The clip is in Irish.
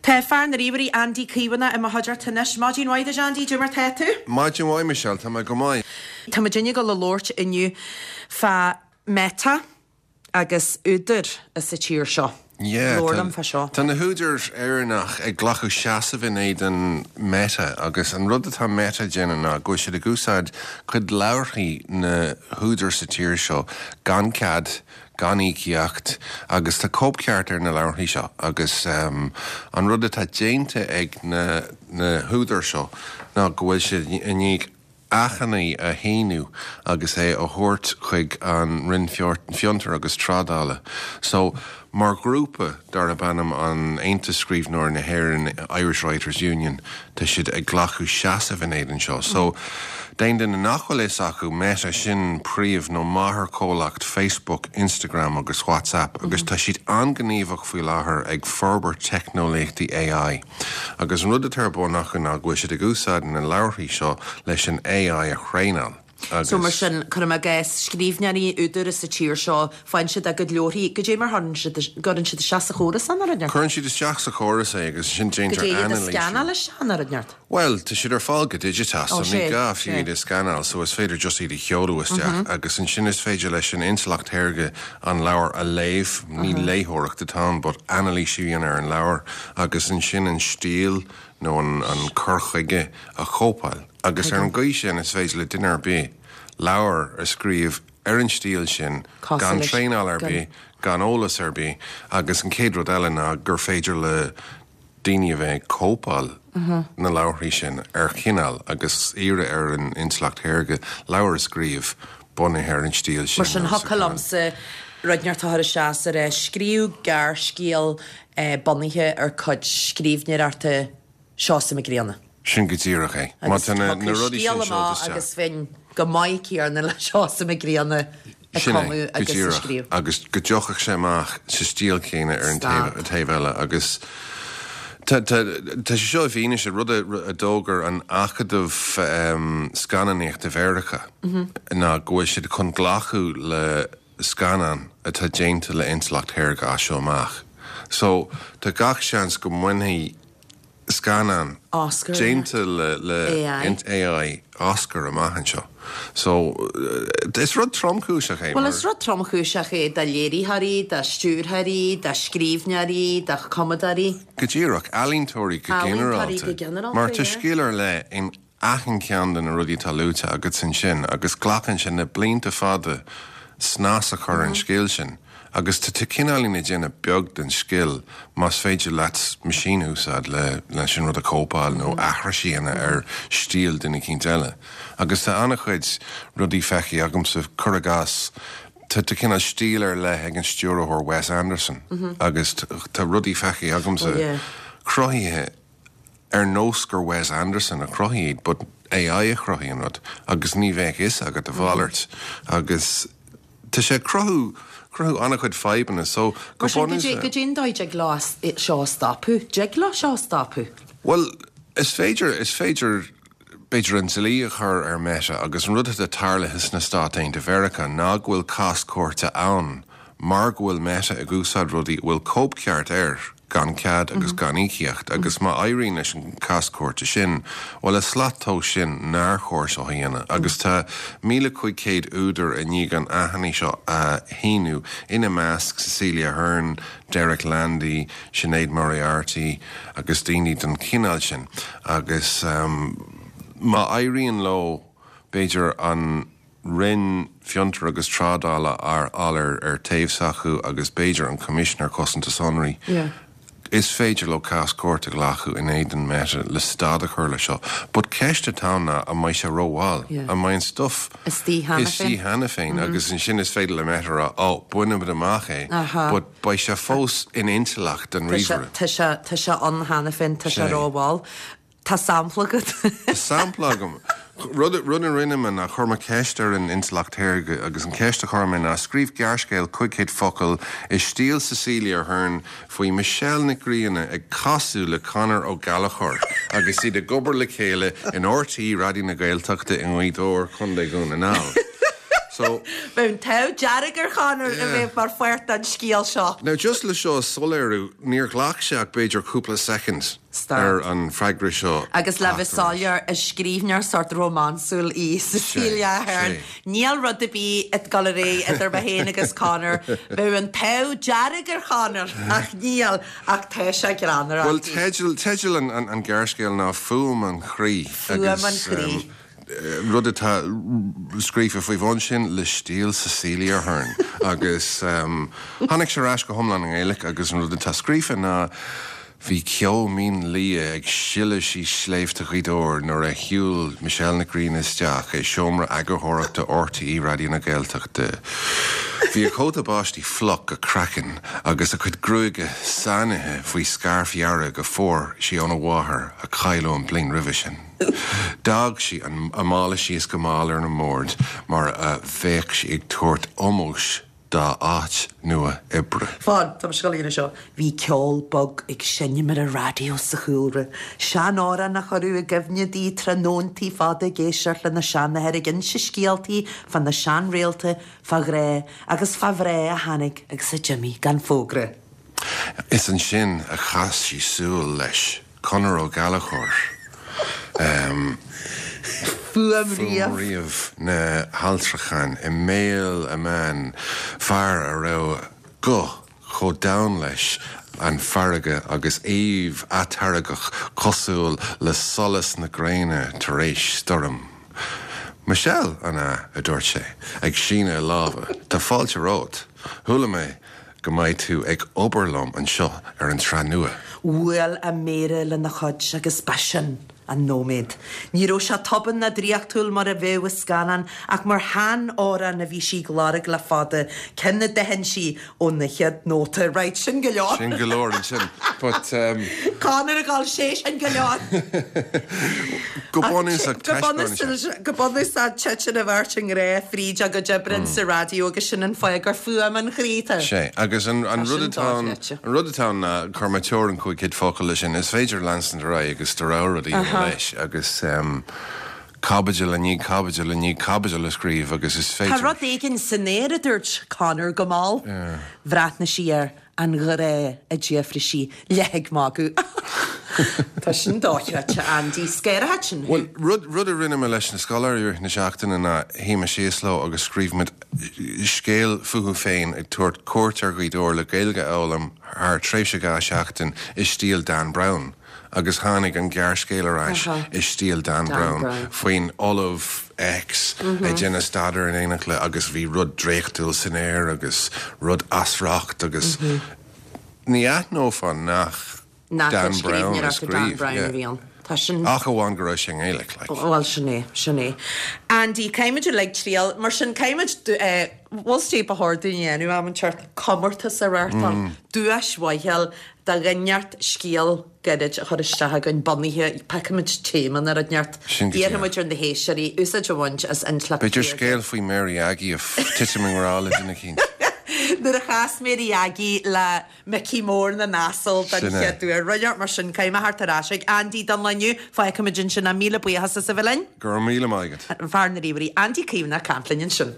Tá fear na ríomhairí Andy Caomhánach i mo chuideachta anois. Maidin mhaith duit Andy, cad é mar tá tú? Maidin mhaith Michelle, tá mé go maith. Tá muidinne ag dul a labhairt inniu fá Meta agus údair sa tír seo. Yeah, Labhair liom fá seo. Tá na húdair Éireannach ag glacadh seasamh in éadan Meta agus an rud atá Meta ag déanamh ná go bhfuil siad ag úsáid cuid leabharthaí na húdair sa tír seo gan cead, gan íocaíocht agus tá cóipcheart ar na leabharthaí seo agus an rud atá déanta ag na na húdair seo ná go bhfuil siad i ndiaidh achainí a shíniú agus é a thabhairt chuig an Roinn Fiontar agus Trádála. So, mar ghrúpa darb ainm an Aontas Scríbhneoirí na hÉireann, Irish Writers Union, tá siad ag glacadh seasamh in éadan seo. So, d'aon duine nach bhfuil fhios acu, Meta, sin príomh nó máthairchomhlacht Facebook, Instagram agus WhatsApp agus tá siad an-ghníomhach faoi láthair ag forbairt teicneolaíochtaí AI. Agus an rud atá ar bun acu ná go bhfuil siad ag úsáid na leabharthaí seo leis an AI a thraenáil agus. So mar sin, cuirim i gcás, scríbhneoirí, údair sa tír seo, faigheann siad a gcuid leabharthaí, goidé mar chuireann siad, gcuireann siad isteach sa chóras é nó rud inteacht? Cuireann siad isteach sa chóras é agus ansin déantar Goidé iad a anailísiú. scannáil isteach nó rud inteacht? Bhuel, tá siad ar fáil go digiteach, so Ó, ní sé, gá fiú sé. iad a scannáil, so is féidir just iad a sheoladh isteach agus ansin is féidir leis an intleacht shaorga an leabhar a léamh, ní léitheoireacht atá ann but anailísiú a dhéanamh ar an leabhar agus ansin an stíl nó an an cur chuige a chóipeáil agus ar an gcaoi sin is féidir le duine ar bith leabhar a scríobh ar an stíl sin Cosúil gan leis, traenáil ar gan. bith, gan eolas ar bith agus an chéad rud eile ná gur féidir le daoine a bheith ag cóipeáil na leabharthaí sin ar chineál agus iarraidh ar an intleacht shaorga leabhar a scríobh bunaithe ar an stíl sin Mar sin nó sa thiocfadh chineál. liomsa rud inteacht a chur isteach is a rá scríobh gearrscéal bunaithe ar cuid scríbhneoireachta Seosamh Mac Grianna. Sin go díreach é. Má Agus tá na thiocfadh rudaí sin scéal seolta amach isteach. agus bheinn go maith céanna le Seosamh Mac Grianna ag Sin é, cumadh go agus ag díreach. scríobh. Agus go dtiocfadh sé amach sa stíl chéanna ar an Stad. taobh eile agus tá tá sé seo i bhfianaise rud a a d'fhógair an Acadamh Scannánaíochta Mheiriceá ná go bhfuil siad chun glacadh le scannán atá déanta le intleacht shaorga as seo amach. So tá gach seans go mbainfidh scannán Oscar déanta le le AI. AI Oscar amach anseo. So is rud tromchúiseach é Bhuel mar. is rud tromchúiseach é do léiritheoirí, do stiúrthóirí, do scríbhneoirí, do chumadóirí. Go díreach, ealaíontóirí go Ealaíontóirí go ginearálta. ginearálta, Mar tá yeah. scil ar leith in achan cheann de na rudaí atá luaite agat ansin agus glacann sé na blianta fada snas a chur ar an scil sin agus tá tú cineáilín ag déanamh beag den scil más féidir leat machine a úsáid le leis an rud a chóipeáil nó aithris a dhéanamh ar stíl duine eicínt eile. Agus tá an-chuid rudaí feicthe agamsa, cuir i gcás, tá tá cineál stíl ar leith ag an stiúrthóir Wes Anderson agus tá rudaí feicthe agamsa cruthaithe ar nós gur Wes Anderson a chruthaigh iad but AI a chruthaigh an rud agus ní bheadh fhios agat a mhalairt agus tá sé ag cruthú cruthú an-chuid fadhbanna so go Mar sin bunúsach. goidé an dóigh dtig leo seo a stopadh? Dtig leo seo a stopadh? Bhuel is féidir is féidir b'fhéidir an dlí a chur ar Meta agus an rud atá tarlaithe sna Stáit Aontaithe Mheiriceá ná go bhfuil cás cúirte ann mar go bhfuil Meta ag úsáid rudaí a bhfuil cóipcheart air gan cead agus gan íocaíocht agus má éiríonn leis an cás cúirte sin, bhuel is slat tomhais sin nár chóir seo a dhéanamh agus tá 1,500 údar i ndiaidh an achainí seo a shíniú, ina measc Cecelia Ahern, Derek Landy, Sinéad Moriarty agus daoine den chineál sin agus má éiríonn leo b'fhéidir an Roinn Fiontar agus Trádála a fháil ar taobh s'acu agus b'fhéidir an Coimisinéir Cosanta Sonraí. Is féidir leo cás cúirte a ghlacadh in éadan Meta le stad a chur le seo. But ceist atá ann ná an mbeidh sé rómhall? An mbeidh an stuff istigh cheana féin agus ansin is féidir le Meta a rá oh, bainimid amach é but beidh sé fós in intleacht an ríomhaire. Tá sé ann cheana féin, tá sé rómhall. Tá sampla agat. Tá sampla agam. Rud rud a rinne mé ná chuir mé ceist ar an intleacht shaorga agus an ceist a chuir mé ná scríobh gearrscéal 500 focal i stíl Cecelia Ahern faoi Michelle Nic Grianna ag casadh le Conor Ó Gallchóir agus iad ag obair le chéile in RTÉ Raidió na Gaeltachta i nGaoth Dobhair, Contae Dhún na nGall. So. Bheadh an t-ádh dearg ar Chonor a bheith mar pháirt den scéal seo. Now just le seo a soiléiriú, níor ghlac sé ach b'fhéidir cúpla soicind ar an freagra seo Agus le bheith soiléir, is scríbhneoir sórt rómánsúil í Cecelia Ahern. Níl rud ar bith ag dul ar aghaidh idir mé féin agus Conor. Bheadh an t-ádh dearg ar Chonor, ach níl, ach tá sé greannmhar. Bhuel, teideal, teideal an ghearrscéil ná Fuaim an Chroí. Fuaim an Chroí. Rud atá scríofa faoi bhun sin le stíl Cecelia Ahern. Agus tháinig sé ar ais go hiomlán i nGaeilge agus an rud atá scríofa ná Bhí ceo mín liath ag sileadh síos sléibhte Ghaoth Dobhair nuair a shiúil Michelle Nic Grianna isteach i seomra eagarthóireachta RTÉ Raidió na Gaeltachta. Bhí a cóta báistí fliuch go craiceann agus a cuid gruaige sáinnithe faoi scairf dhearg a fuair sí óna mháthair a cailleadh an bhliain roimhe sin. D'fhág sí a mála síos go mall ar an mbord mar a bheadh sí ag tabhairt ómóis dá áit nua oibre. Fan, tá mise ag dul a dhéanamh seo. Bhí ceol bog ag seinm ar an raidió sa chúlra. Seanamhrán a chuireadh i gcuimhne di tráthnóntaí fada ag éisteacht lena seanathair ag inse scéaltaí fá na seanréalta, fá ghrá agus fá mhná a tháinig agus a d'imigh gan fógra. Is ansin a chas sí súil leis. Conor Ó Gallchóir, Fuaim Fuaim-ríomh na hAlltrachan i mbéal a mbean, fear a raibh guth chomh domhain leis an bhfarraige agus aoibh atáirgeach cosúil le solas na gréine tar éis stoirm. Michelle, an ea? a dúirt sé, ag síneadh a láimhe. Tá fáilte romhat. Chuala mé go mbeidh tú ag obair liom anseo ar an tsraith nua. Bhuail a méara lena chuid agus b'shin an nóiméad. Ní raibh sé tobann ná draíochtúil mar a bheadh i scannán ach mar shean-amhrán a bhí sí ag lorg le fada, ceann a d'aithin sí ó na chéad nóta. Right, sin go leor. Sin go leor ansin. But um. Conor ag dul, sé sin go leor. Go bunúsach taispeánann sé. Go bunúsach titeann an bheirt i ngrá fríd a gcuid oibre sa raidió agus sin an fáth gur fuaim an chroí atá. Sé, agus an rud atá ann, an rud atá ann ná chuir mé teorainn 500 focal leis sin, is féidir leanstan ar aghaidh agus do rogha rud a dhéanamh leis agus caibidil i ndiaidh caibidil i ndiaidh caibidil a scríobh agus is féidir. Tá rud éigin san aer, a dúirt Conor go mall. Bhreathnaigh sí air. An grá, a d'fhiafraigh sí, leath ag magadh. Tá sin dochreidte, Andy. Scaireacha sin thú. Bhuel, rud, rud a rinne mé leis na scoláirí i rith na seachtaine ná shuigh mé síos leo agus scríobh muid scéal fúthu féin ag tabhairt cuairt ar Ghaoth Dobhair le Gaeilge a fhoghlaim thar tréimhse 2 sheachtain i stíl Dan Brown. Agus tháinig an gearrscéal ar ais i stíl Dan Brown faoin Ollamh X ag déanamh staidéir in éineacht le agus bhí rud draíochtúil san aer agus rud as riocht agus ní aithneofá nach Dan Brown a scríobh. Tá sin. Ach amháin go raibh sé i nGaeilge, like. Bhuel, sin é, sin é. Andy, caithfimid uilig triail, mar sin, caithfimid, bhfuil 's ba chóir dúinn a dhéanamh am inteacht, comórtas a reáchtáil, duais mhaith a fháil do dhuine inteacht scéal gairid a chur isteach againn bunaithe, piocfaimid téama nó rud inteacht, Sin go iarrfaimid ar na héisteoirí úsáid a bhaint as intleacht B'fhéidir scéal faoi Mary Aggie ag titim i ngrá le duine eicínt. Nuair a chas Mary Aggie le Micí Mór na nAsal den Sin é. chéad uair. Rud inteacht mar sin, caithfidh mé theacht ar ais ag Andy don lá inniu. Fágfaimid ansin é. Míle buíochas as a bheith linn. Go raibh míle maith agat. Fear na ríomhairí, Andy Caomhánach ag caint linn ansin.